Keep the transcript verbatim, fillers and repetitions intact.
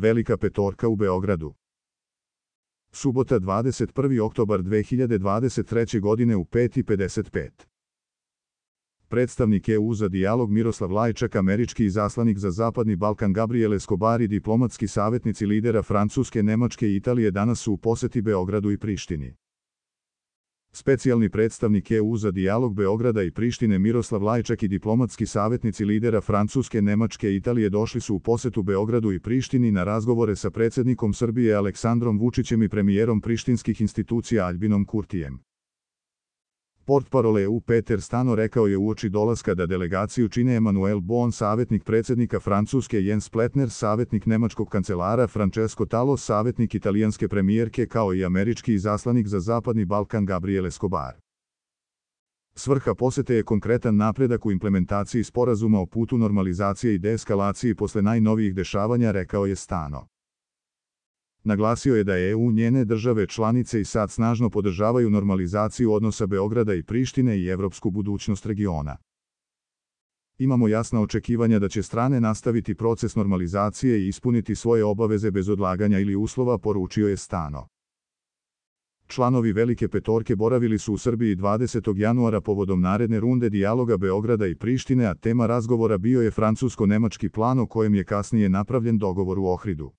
Velika petorka u Beogradu. Subota dvadeset prvi oktobar dve hiljade dvadeset treće. godine u pet i pedeset pet. Predstavnik E U za dijalog Miroslav Lajčak, američki izaslanik za Zapadni Balkan Gabriel Escobar i diplomatski savjetnici lidera Francuske, Nemačke i Italije danas su u posjeti Beogradu i Prištini. Specijalni predstavnik E U za dijalog Beograda i Prištine Miroslav Lajčak i diplomatski savjetnici lidera Francuske, Nemačke i Italije došli su u posjetu Beogradu i Prištini na razgovore sa predsjednikom Srbije Aleksandrom Vučićem i premijerom prištinskih institucija Aljbinom Kurtijem. Portparol E U Peter Stano rekao je uoči dolaska da delegaciju čine Emmanuel Bon, savjetnik predsjednika Francuske, Jens Pletner, savjetnik nemačkog kancelara, Francesco Tallo, savjetnik italijanske premijerke, kao i američki izaslanik za Zapadni Balkan Gabriel Escobar. Svrha posjete je konkretan napredak u implementaciji sporazuma o putu normalizacije i deeskalaciji posle najnovijih dešavanja, rekao je Stano. Naglasio je da E U, njene države članice i sad snažno podržavaju normalizaciju odnosa Beograda i Prištine i evropsku budućnost regiona. Imamo jasna očekivanja da će strane nastaviti proces normalizacije i ispuniti svoje obaveze bez odlaganja ili uslova, poručio je Stano. Članovi Velike petorke boravili su u Srbiji dvadesetog januara povodom naredne runde dijaloga Beograda i Prištine, a tema razgovora bio je francusko-nemački plan o kojem je kasnije napravljen dogovor u Ohridu.